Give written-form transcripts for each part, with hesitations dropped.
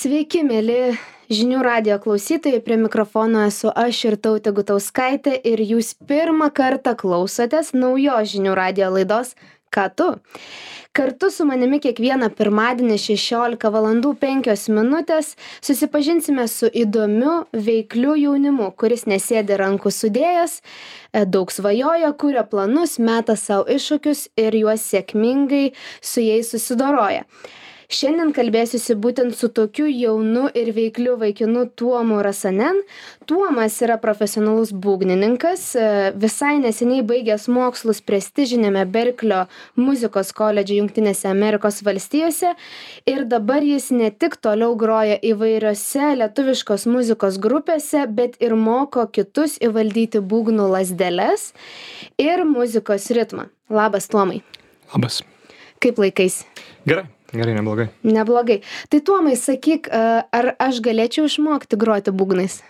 Sveiki, mėly žinių radijo klausytojai, prie mikrofono esu aš Irtautė Gutauskaitė ir jūs pirmą kartą klausotės naujos žinių radijo laidos Ką tu? Kartu su manimi kiekvieną pirmadienį 16:05 susipažinsime su įdomiu, veikliu jaunimu, kuris nesėdi rankų sudėjęs, daug svajoja, kuria planus, meta savo iššūkius ir juos sėkmingai su jais susidoroja. Šiandien kalbėsiuosi būtent su tokiu jaunu ir veikliu vaikinu Tuomu Rasanen. Tuomas yra profesionalus būgnininkas, visai neseniai baigęs mokslus prestižinėme Berklio muzikos koledže Jungtinėse Amerikos valstijose ir dabar jis ne tik toliau groja įvairiose lietuviškos muzikos grupėse, bet ir moko kitus įvaldyti būgnų lazdeles ir muzikos ritmą. Labas, Tuomai. Labas. Kaip laikaisi? Gerai, neblogai. Neblogai. Tai Tuomai, sakyk, ar aš galėčiau išmokti groti būgnais?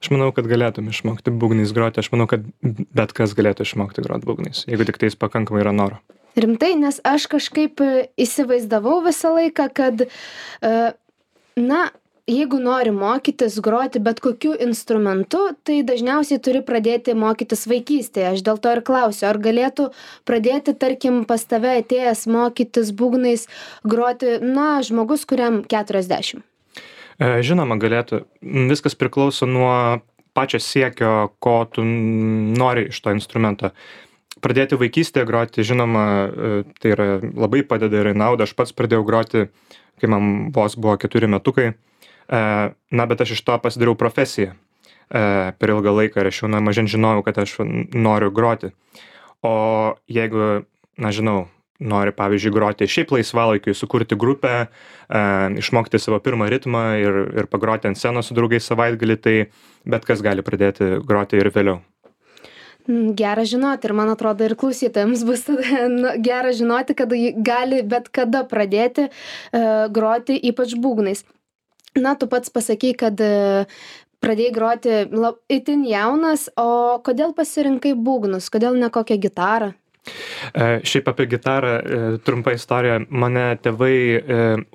Aš manau, kad galėtum išmokti būgnais groti. Aš manau, kad bet kas galėtų išmokti groti būgnais, jeigu tik tais pakankamai yra noro. Rimtai, nes aš kažkaip įsivaizdavau visą laiką, kad, jeigu nori mokytis groti bet kokiu instrumentu, tai dažniausiai turi pradėti mokytis vaikystėje. Aš dėl to ir klausiu, ar galėtų pradėti, tarkim, pas tave atėjęs mokytis būgnais groti, žmogus, kuriam 40? Žinoma, galėtų. Viskas priklauso nuo pačio siekio, ko tu nori iš to instrumento. Pradėti vaikystėje groti, žinoma, tai yra labai padeda ir nauda. Aš pats pradėjau groti, kai man vos buvo 4 metukai. Bet aš iš to pasidariau profesiją per ilgą laiką ir aš jau mažen žinojau, kad aš noriu groti. O jeigu, nori, pavyzdžiui, groti šiaip laisvalaikiui, sukurti grupę, išmokti savo pirmą ritmą ir pagroti ant scenos su draugais savaitgalį, tai bet kas gali pradėti groti ir vėliau. Gera žinoti ir man atrodo ir klausytojams bus gera žinoti, kad gali bet kada pradėti groti, ypač būgnais. Tu pats pasakei, kad pradėjai groti itin jaunas, o kodėl pasirinkai būgnus, kodėl ne kokią gitarą? Šiaip apie gitarą, trumpa istorija, mane tėvai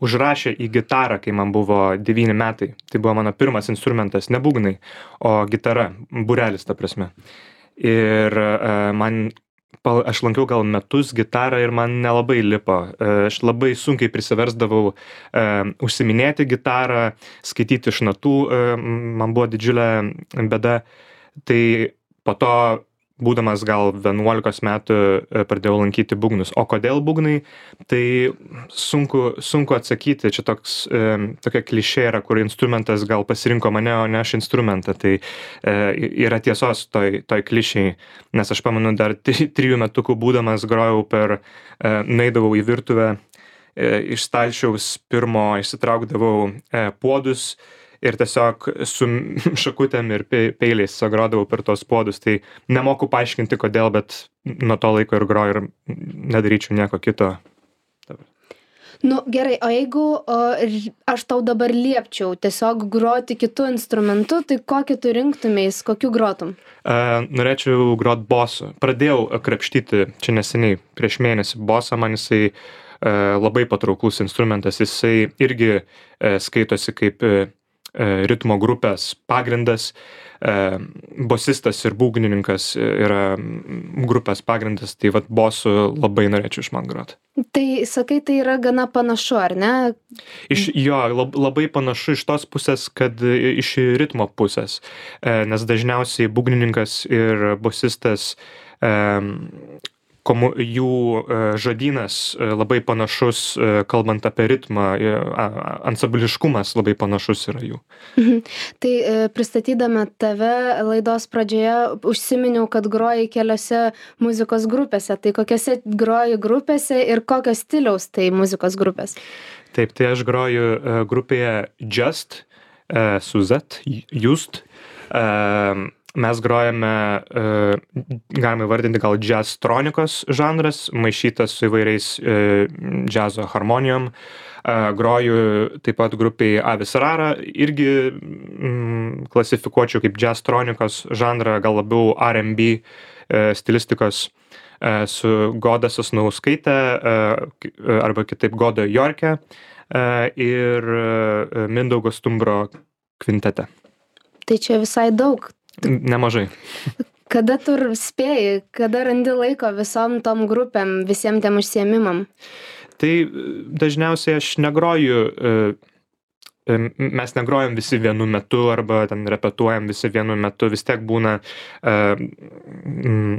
užrašė į gitarą, kai man buvo 9 metai. Tai buvo mano pirmas instrumentas, ne būgnai, o gitara, būrelis ta prasme. Ir aš lankiau gal metus gitarą ir man nelabai lipo. Aš labai sunkiai prisiversdavau užsiminėti gitarą, skaityti iš natų, man buvo didžiulė bėda. Tai po to, būdamas gal 11 metų, pradėjau lankyti būgnus. O kodėl būgnai? Tai sunku atsakyti. Čia tokia klišė yra, kur instrumentas gal pasirinko mane, o ne aš instrumentą. Tai yra tiesos toj klišėj. Nes aš pamenu, dar 3 metukų būdamas grojau nueidavau į virtuvę, iš stalčiaus pirmo išsitraukdavau puodus ir tiesiog su šakutėm ir peiliais grodavau per tos puodus. Tai nemoku paaiškinti kodėl, bet nuo to laiko ir groju ir nedaryčiau nieko kito. Gerai, o jeigu aš tau dabar liepčiau tiesiog groti kitų instrumentų, tai kokį tu rinktumės, kokiu grotum? Norėčiau grot bosu. Pradėjau krapštyti čia neseniai, prieš mėnesį bosą, man jisai labai patrauklus instrumentas. Jisai irgi skaitosi kaip ritmo grupės pagrindas, bosistas ir būgnininkas yra grupės pagrindas, tai bosų labai norėčiau išmokti groti. Tai sakai, tai yra gana panašu, ar ne? Labai panašu iš tos pusės, kad iš ritmo pusės, nes dažniausiai būgnininkas ir bosistas jų žodynas labai panašus, kalbant apie ritmą, ansambliškumas labai panašus yra jų. Tai pristatydama tave laidos pradžioje užsiminiau, kad groji keliose muzikos grupėse. Tai kokiose groji grupėse ir kokios stiliaus tai muzikos grupės? Taip, tai aš groju grupėje Just, su Z, Just. Mes grojame, galime vardinti gal džiaztronikos žanras, maišytas su įvairiais džiazo harmonijom. Groju taip pat grupiai Avis Rara, irgi klasifikuočiau kaip džiaztronikos žanrą, gal labiau R&B stilistikos, su Goda Sasnauskaitė arba kitaip Goda Jorke. ir Mindaugo Stumbro kvintete. Tai čia visai daug. Nemažai. Kada tu spėji, kada randi laiko visom tom grupėm, visiem tiem užsiėmimam? Tai dažniausiai aš negroju, mes negrojam visi vienu metu arba ten repetuojam visi vienu metu, vis tiek būna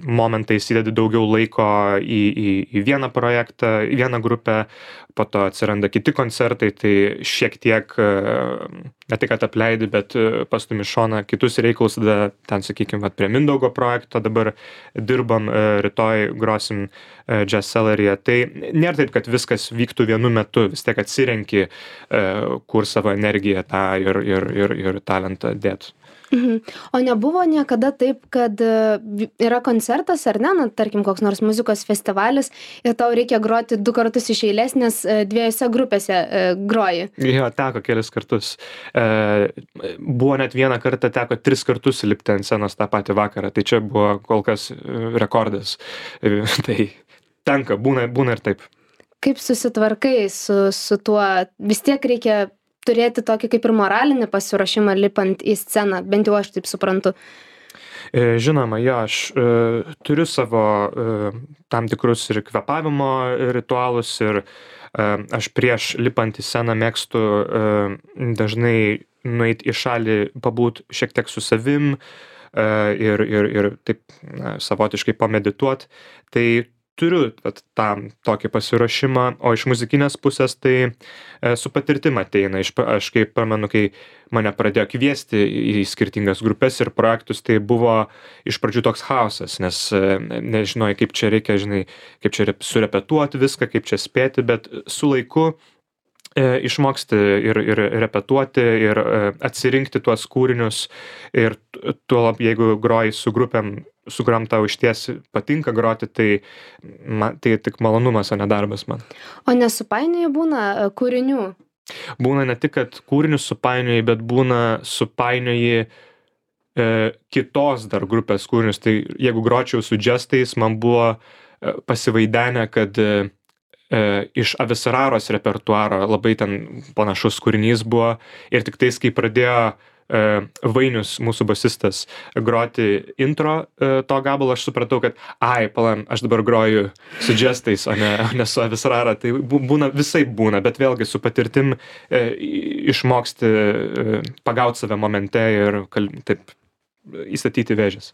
momentais įdedi daugiau laiko į vieną projektą, į vieną grupę, po to atsiranda kiti koncertai, tai šiek tiek ne tai, kad apleidi, bet pastumi šoną kitus reikalus, tada ten, sakykime, prie Mindaugo projekto dabar dirbam, rytoj grosim Jazz Cellar'yje. Tai nėra taip, kad viskas vyktų vienu metu, vis tiek atsirenki, kur savo energiją tą ir talentą dėt. O nebuvo niekada taip, kad yra koncertas ar ne, na, tarkim, koks nors muzikos festivalis ir tau reikia groti 2 kartus iš eilės, nes 2 grupėse groji? Jo, teko kelis kartus. Buvo net vieną kartą teko 3 kartus lipti ant scenos tą patį vakarą, tai čia buvo kol kas rekordas. Tai tenka, būna ir taip. Kaip susitvarkai su tuo? Vis tiek reikia turėti tokį kaip ir moralinį pasiruošimą lipant į sceną, bent jau aš taip suprantu. Žinoma, jo, aš turiu savo tam tikrus ir kvėpavimo ritualus ir aš prieš lipant į sceną mėgstu dažnai nueiti į šalį, pabūt šiek tiek su savim ir taip savotiškai pamedituot. Tai turiu tam tokį pasiruošimą, o iš muzikinės pusės tai su patirtim ateina. Aš kaip pamenu, kai mane pradėjo kviesti į skirtingas grupes ir projektus, tai buvo iš pradžių toks chaosas, nes nežinojai, kaip čia reikia, žinai, kaip čia surepetuoti viską, kaip čia spėti, bet su laiku išmoksti ir repetuoti ir atsirinkti tuos kūrinius ir tuolab, jeigu groji su grupėm, su kuriom tau išties patinka groti, tai tik malonumas, o ne darbas man. O nesupainioji būna kūrinių? Būna ne tik, kad kūrinius supainioji, bet būna supainioji kitos dar grupės kūrinius. Tai jeigu gročiau su džestais, man buvo pasivaidenę, kad iš Avisararos repertuaro labai ten panašus kūrinys buvo ir tik tais, kai pradėjo Vainius, mūsų basistas, groti intro to gabalo, aš supratau, kad aš dabar groju su džestais, o ne su Avisarara. Tai būna, visai būna, bet vėlgi su patirtim išmoksti pagauti save momente ir taip įstatyti vėžes.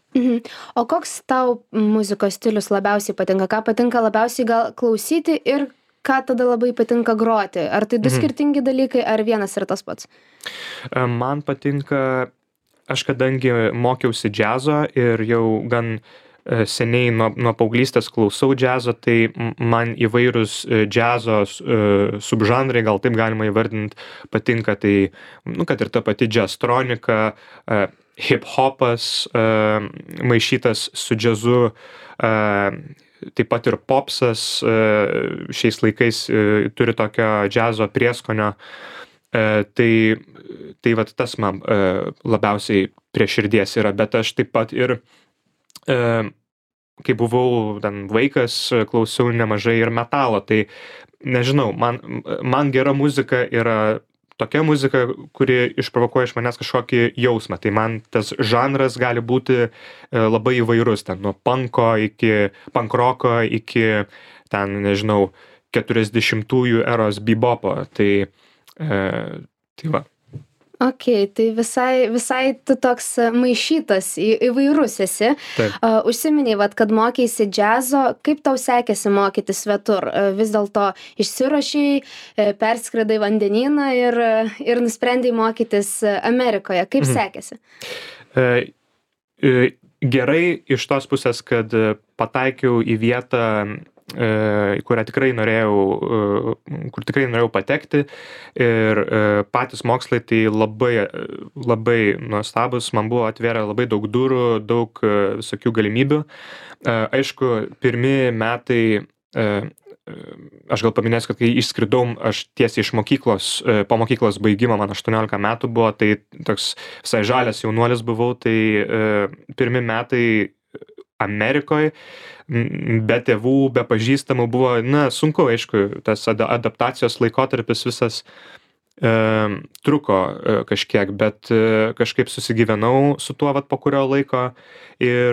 O koks tau muzikos stilius labiausiai patinka? Ką patinka labiausiai gal klausyti ir ką tada labai patinka groti? Ar tai 2 skirtingi dalykai, ar vienas ir tas pats? Man patinka, aš kadangi mokiausi džiazo ir jau gan seniai nuo paauglystės klausau džiazo, tai man įvairūs džiazo subžanrai, gal taip galima įvardinti, patinka. Tai, kad ir ta pati džiaztronika, hip-hopas maišytas su džiazu, taip pat ir popsas šiais laikais turi tokio džiazo prieskonio. Tai vat tas man labiausiai prie širdies yra, bet aš taip pat ir kai buvau ten vaikas, klausiau nemažai ir metalo, tai nežinau, man gera muzika yra tokia muzika, kuri išprovokuoja iš manęs kažkokį jausmą. Tai man tas žanras gali būti labai įvairus, ten nuo punko iki pankroko iki ten, nežinau, 40-ųjų eros bebopo. Tai va. Ok, tai visai tu toks maišytas, įvairus esi. Užsiminiai, kad mokeisi džiazo, kaip tau sekėsi mokytis svetur? Vis dėlto išsiruošiai, perskridai vandenyną ir nusprendai mokytis Amerikoje. Kaip sekėsi? Gerai iš tos pusės, kad pataikiau į vietą, kur tikrai norėjau patekti ir patys mokslai tai labai nuostabus, man buvo atvėrę labai daug durų, daug visokių galimybių. Aišku, pirmi metai, aš gal paminėsiu, kad kai išskridau, aš tiesiai iš mokyklos, po mokyklos baigimo, man 18 metų buvo, tai toks visai žalias jaunuolis buvau, tai pirmi metai Amerikoje, be tėvų, be pažįstamų buvo, sunku, aišku, tas adaptacijos laikotarpis visas truko kažkiek, bet kažkaip susigyvenau su tuo vat po kurio laiko ir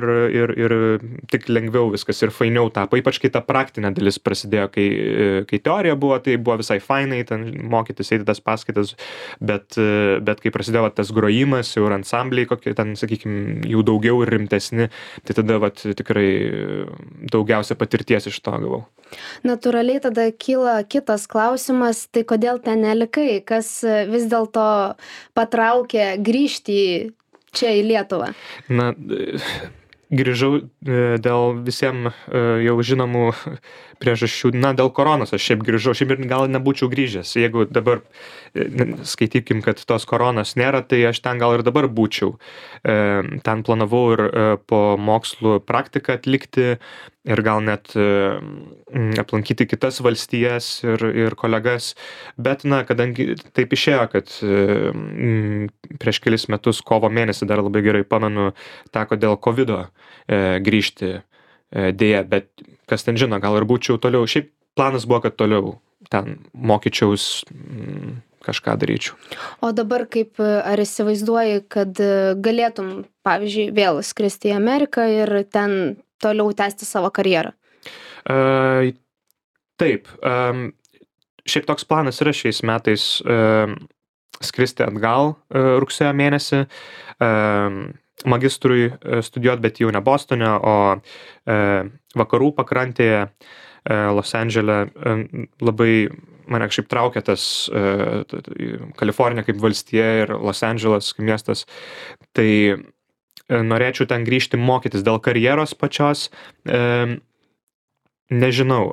tik lengviau viskas ir fainiau tapo, ypač kai ta praktinė dalis prasidėjo, kai teorija buvo, tai buvo visai fainai, ten mokytis, eiti tas paskaitas, bet kai prasidėjo vat tas grojimas, jau ir ansambliai kokie, ten, sakykime, jų daugiau ir rimtesni, tai tada vat tikrai daugiausia patirties iš to gavau. Natūraliai tada kyla kitas klausimas, tai kodėl ten nelikai, kas vis dėlto patraukė grįžti čia į Lietuvą? Na, grįžau dėl visiems jau žinomų priežasčių, dėl koronos aš šiaip grįžau, šiaip ir gal nebūčiau grįžęs, jeigu dabar skaitykim, kad tos koronos nėra, tai aš ten gal ir dabar būčiau. Ten planavau ir po mokslų praktiką atlikti ir gal net aplankyti kitas valstijas ir kolegas, bet kadangi taip išėjo, kad prieš kelis metus kovo mėnesį, dar labai gerai pamenu, teko dėl COVID-o grįžti dėja, bet kas ten žino, gal ir būčiau toliau, šiaip planas buvo, kad toliau ten mokyčiaus, kažką daryčiau. O dabar kaip, ar įsivaizduoji, kad galėtum, pavyzdžiui, vėl skristi į Ameriką ir ten toliau tęsti savo karjerą? Taip. Šiaip toks planas yra šiais metais skristi atgal rugsėjo mėnesį, magistrui studijuoti, bet jau ne Bostone, o vakarų pakrantėje, Los Andžele. Labai mane kažkaip traukia tas Kalifornija kaip valstija ir Los Andželas kaip miestas. Tai norėčiau ten grįžti mokytis dėl karjeros pačios. Nežinau,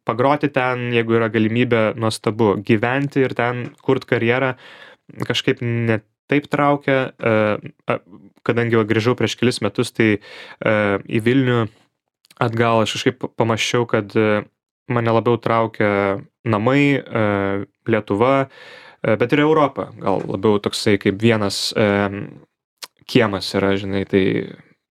pagroti ten, jeigu yra galimybė, nuostabu. Gyventi ir ten kurt karjerą kažkaip net taip traukia, kadangi grįžau prieš kelis metus, tai į Vilnių atgal aš kažkaip pamąsčiau, kad mane labiau traukia namai, Lietuva, bet ir Europa. Gal labiau toksai kaip vienas kiemas yra, žinai, tai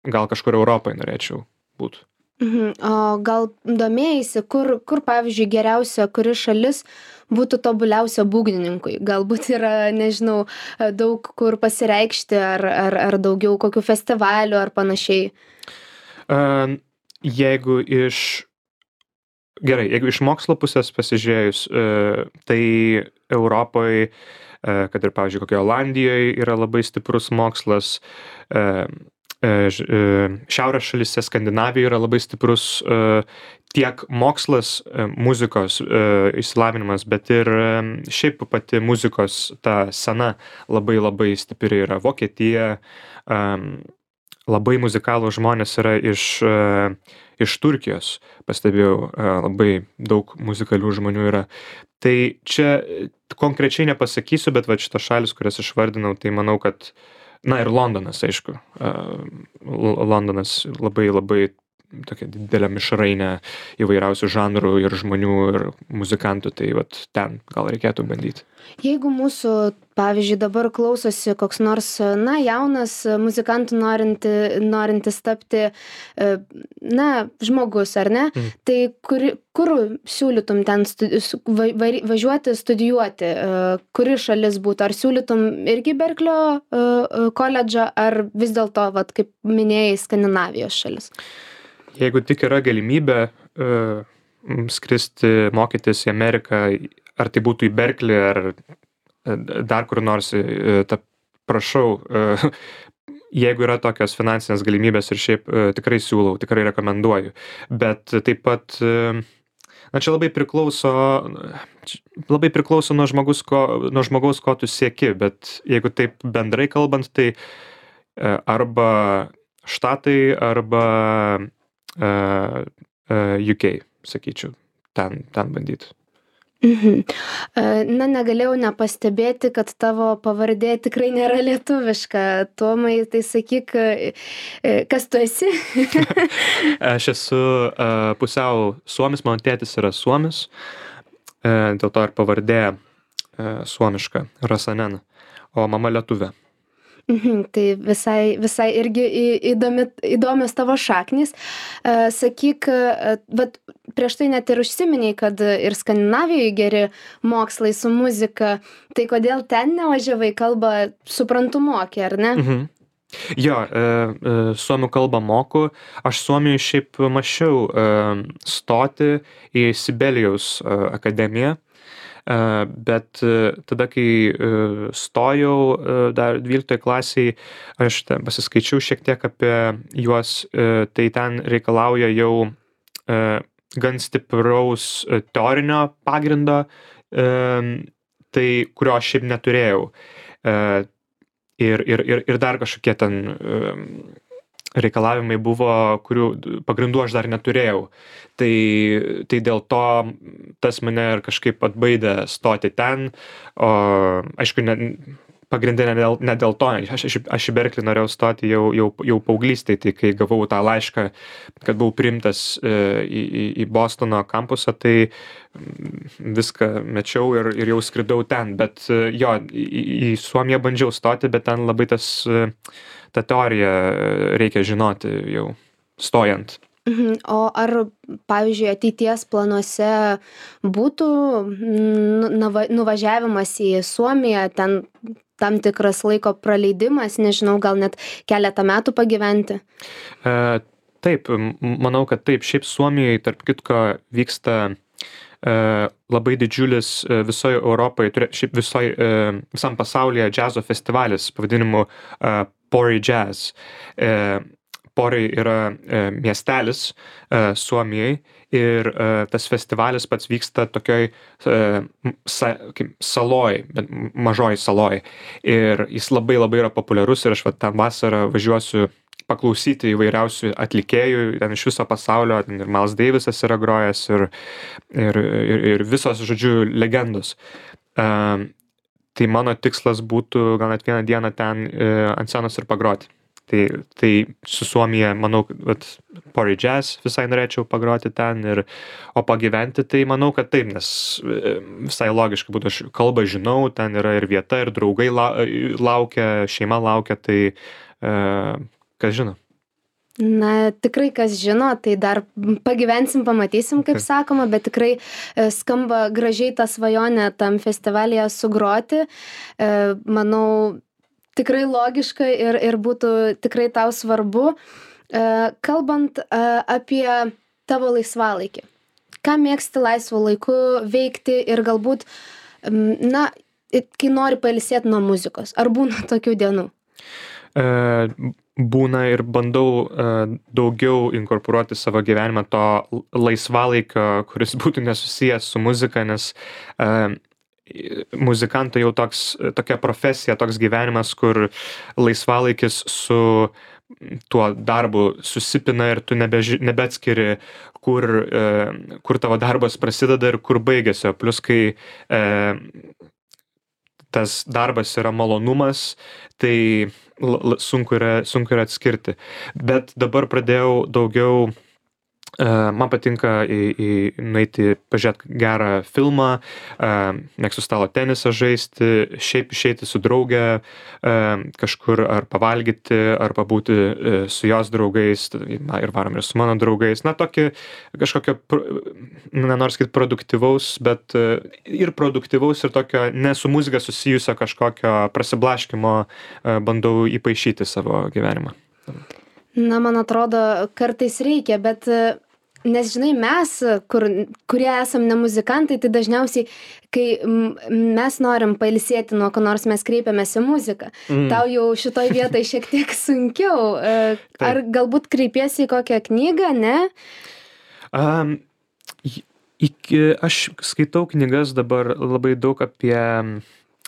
gal kažkur Europai norėčiau būti. O gal domėjaisi, kur pavyzdžiui, geriausia, kuri šalis būtų tobuliausia būgnininkui? Galbūt yra, nežinau, daug kur pasireikšti ar daugiau kokių festivalių ar panašiai? Jeigu iš mokslo pusės pasižiūrėjus, tai Europoje, kad ir, pavyzdžiui, kokioje Olandijoje yra labai stiprus mokslas, šiaurės šalyse, Skandinavijoje yra labai stiprus tiek mokslas, muzikos išsilavinimas, bet ir šiaip pati muzikos ta sena labai stipri yra. Vokietija, labai muzikalų žmonės yra iš Turkijos, pastebėjau, labai daug muzikalių žmonių yra. Tai čia konkrečiai nepasakysiu, bet va šitos šalis, kurias išvardinau, tai manau, kad ir Londonas, aišku. Londonas labai tokia didelė mišrainė įvairiausių žanrų ir žmonių ir muzikantų, tai vat ten gal reikėtų bandyti. Jeigu mūsų, pavyzdžiui, dabar klausosi koks nors, jaunas muzikantų norintis tapti, žmogus, ar ne? Tai kur siūlytum ten važiuoti, studijuoti? Kuri šalis būtų? Ar siūlytum irgi Berklio koledžą, ar vis dėlto, vat, kaip minėjai, Skandinavijos šalis? Jeigu tik yra galimybė skristi, mokytis į Ameriką, ar tai būtų į Berklį, ar dar kur nors, prašau, jeigu yra tokios finansinės galimybės ir šiaip tikrai siūlau, tikrai rekomenduoju. Bet taip pat, čia labai priklauso nuo žmogaus, ko tu sieki, bet jeigu taip bendrai kalbant, tai arba štatai, arba UK, sakyčiau, ten bandyti. Negalėjau nepastebėti, kad tavo pavardė tikrai nėra lietuviška. Tomai, tai sakyk, kas tu esi? Aš esu pusiau suomis, mano tėtis yra suomis, dėl to ir pavardė suomiška, Rasanen, o mama lietuvė. Tai visai irgi įdomios tavo šaknys. Sakyk, vat prieš tai net ir užsiminei, kad ir Skandinavijoje geri mokslai su muzika. Tai kodėl ten nevažiavai, kalbą suprantu moki, ar ne? Jo, suomių kalbą moku. Aš Suomijoje šiaip mąsčiau stoti į Sibelijaus akademiją. Bet tada, kai stojau dar 12 klasiai, aš pasiskaičiau šiek tiek apie juos, tai ten reikalauja jau gan stipraus teorinio pagrindo, tai kurio aš šiaip neturėjau. Ir dar kažkokie ten reikalavimai buvo, kurių pagrindų aš dar neturėjau. Tai dėl to tas mane ir kažkaip atbaidė stoti ten, o aišku, pagrindė ne dėl to, aš į Berklį norėjau stoti jau paauglystėj, tai kai gavau tą laišką, kad buvau priimtas į Bostono kampusą, tai viską mečiau ir jau skridau ten, bet jo, į Suomiją bandžiau stoti, bet ten labai tą teoriją reikia žinoti jau stojant. O ar, pavyzdžiui, ateities planuose būtų nuvažiavimas į Suomiją, ten tam tikras laiko praleidimas, nežinau, gal net keletą metų pagyventi? Taip, manau, kad taip. Šiaip Suomijoje, tarp kitko, vyksta labai didžiulis visoje Europoje, šiaip visam pasaulyje džiazo festivalis pavadinimu Pori Jazz. Pori yra miestelis Suomijai ir tas festivalis pats vyksta tokioj saloj, mažoj saloj. Ir jis labai yra populiarus ir aš ten vasarą važiuosiu paklausyti įvairiausių atlikėjų, ten iš viso pasaulio, ten ir Miles Davisas yra grojęs ir visos, žodžiu, legendos. Tai mano tikslas būtų gal net vieną dieną ten ant scenos ir pagroti. Tai su Suomija, manau, kad Pori Jazz visai norėčiau pagroti ten, o pagyventi, tai manau, kad taip, nes visai logiškai būtų, aš kalbą žinau, ten yra ir vieta, ir draugai laukia, šeima laukia, tai kas žino. Na, tikrai kas žino, tai dar pagyvensim, pamatysim, kaip sakoma, bet tikrai skamba gražiai tą svajonę tam festivalyje sugroti. Manau, tikrai logiška ir būtų tikrai tau svarbu. Kalbant apie tavo laisvalaikį, ką mėgsti laisvu laiku veikti ir galbūt, na, kai nori pailsėti nuo muzikos, ar būna tokių dienų? Būna ir bandau daugiau inkorporuoti savo gyvenimą to laisvalaikio, kuris būtų nesusijęs su muzika, nes muzikantai jau tokia profesija, toks gyvenimas, kur laisvalaikis su tuo darbu susipina ir tu nebeatskiri, kur tavo darbas prasideda ir kur baigėsi. Plius, kai tas darbas yra malonumas, tai sunku yra atskirti. Bet dabar pradėjau daugiau, man patinka nueiti pažiūrėti gerą filmą, mėgstu stalo tenisą žaisti, šiaip išeiti su drauge kažkur ar pavalgyti, ar pabūti su jos draugais, ir varom ir su mano draugais. Na, tokį kažkokio, nenoriu sakyti produktyvaus, bet ir produktyvaus ir tokio ne su muzika susijusio kažkokio prasiblaškymo bandau įpaišyti savo gyvenimą. Na, man atrodo, kartais reikia, bet nes, žinai, mes, kurie esam ne muzikantai, tai dažniausiai, kai mes norim pailsėti nuo ko nors, mes kreipiamės į muziką. Tau jau šitoj vietoj šiek tiek sunkiau. Ar galbūt kreipiesi į kokią knygą, ne? Aš skaitau knygas dabar labai daug apie,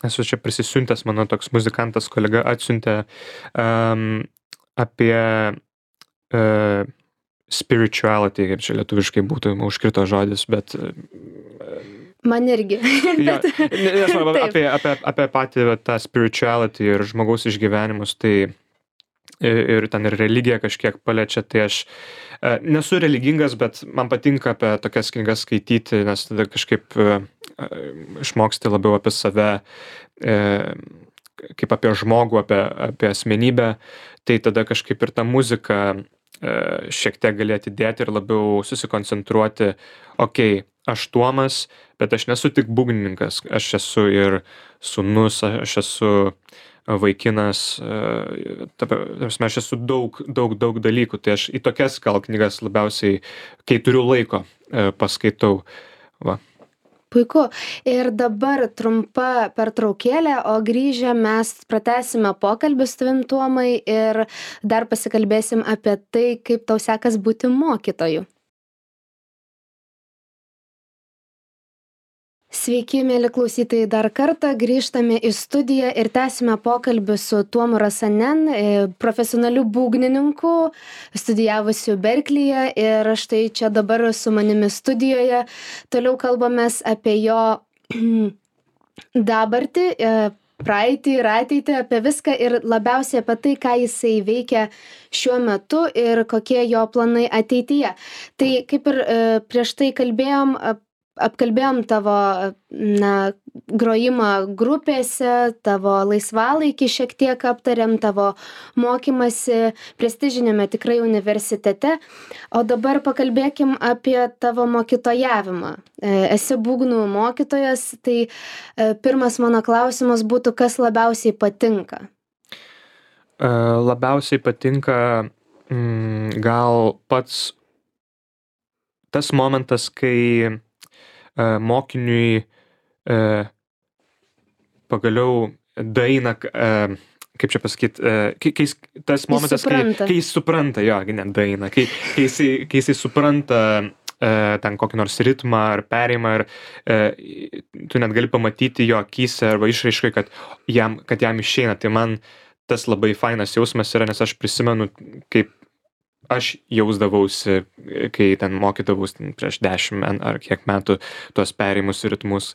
esu čia prisisiuntęs, mano toks muzikantas kolega atsiuntė apie spirituality, kaip čia lietuviškai būtų, užkrito žodis, bet man irgi. Apie patį tą spirituality ir žmogaus išgyvenimus, tai ir ten ir religiją kažkiek paliečia, tai aš nesu religingas, bet man patinka apie tokias knygas skaityti, nes tada kažkaip išmoksti labiau apie save, kaip apie žmogų, apie asmenybę, tai tada kažkaip ir ta muzika šiek tiek gali atidėti ir labiau susikoncentruoti, okei, aš Tuomas, bet aš nesu tik būgnininkas, aš esu ir sūnus, aš esu vaikinas, ta prasme, aš esu daug dalykų, tai aš į tokias gal knygas labiausiai, kai turiu laiko, paskaitau. Va. Puiku. Ir dabar trumpa pertraukėlė, o grįžę mes pratęsime pokalbį su tavim, Tuomai, ir dar pasikalbėsim apie tai, kaip tau sekas būti mokytoju. Sveiki, mėly klausytojai, dar kartą grįžtame į studiją ir tęsime pokalbį su Tuomu Rasanen, profesionaliu būgnininku, studijavusiu Berklyje, ir štai čia dabar su manimi studijoje. Toliau kalbamės apie jo dabartį, praeitį ir ateitį, apie viską ir labiausiai apie tai, ką jisai veikia šiuo metu ir kokie jo planai ateityje. Tai kaip ir prieš tai apkalbėjom tavo grojimą grupėse, tavo laisvalaikį šiek tiek aptarėm, tavo mokymasi prestižiniame tikrai universitete, o dabar pakalbėkim apie tavo mokytojavimą. Esi būgnų mokytojas, tai pirmas mano klausimas būtų, kas labiausiai patinka? Labiausiai patinka gal pats tas momentas, kai mokiniui pagaliau daina, kaip čia pasakyti, tas momentas, kai jis supranta, jo, ne daina, kai jisai supranta ten kokį nors ritmą ar perėjimą, ir tu net gali pamatyti jo akyse arba išraiškai, kad jam išeina. Tai man tas labai fainas jausmas yra, nes aš prisimenu, kaip aš jausdavausi, kai ten mokydavausi prieš 10 ar kiek metų tuos perėjimus ir ritmus.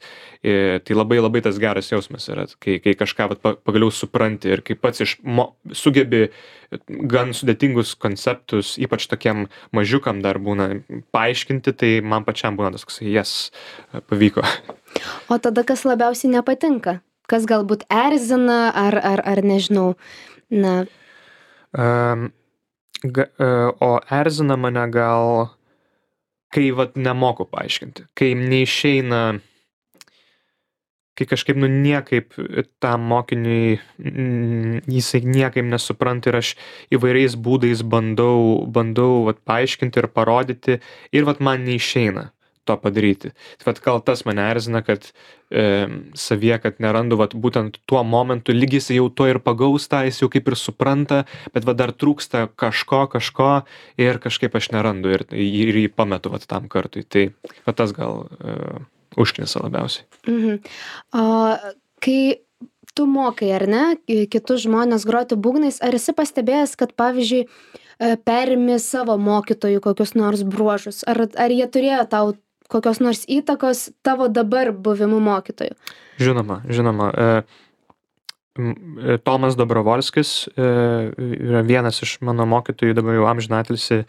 Tai labai tas geras jausmas yra, kai kažką pagaliau supranti ir kai pats sugebi gan sudėtingus konceptus, ypač tokiem mažiukam dar būna paaiškinti, tai man pačiam būna tas, pavyko. O tada kas labiausiai nepatinka? Kas galbūt erzina ar nežinau, O erzina mane gal, kai nemoku paaiškinti, kai neišeina, kai kažkaip niekaip tam mokiniui jisai niekaip nesupranta ir aš įvairiais būdais bandau paaiškinti ir parodyti ir man neišeina to padaryti. Tai gal tas mane erzina, kad savyje, kad nerandu būtent tuo momentu, lyg jis jau to ir pagaus tą, jis jau kaip ir supranta, bet dar trūksta kažko ir kažkaip aš nerandu ir jį pametu tam kartui. Tai tas gal užknisa labiausiai. O kai tu mokai, ar ne, kitus žmonės groti būgnais, ar esi pastebėjęs, kad pavyzdžiui perimi savo mokytojų kokius nors bruožus, ar jie turėjo tau kokios nors įtakos tavo dabar buvimu mokytoju? Žinoma. Tomas Dobrovolskis yra vienas iš mano mokytojų, dabar jau amžinatilsį.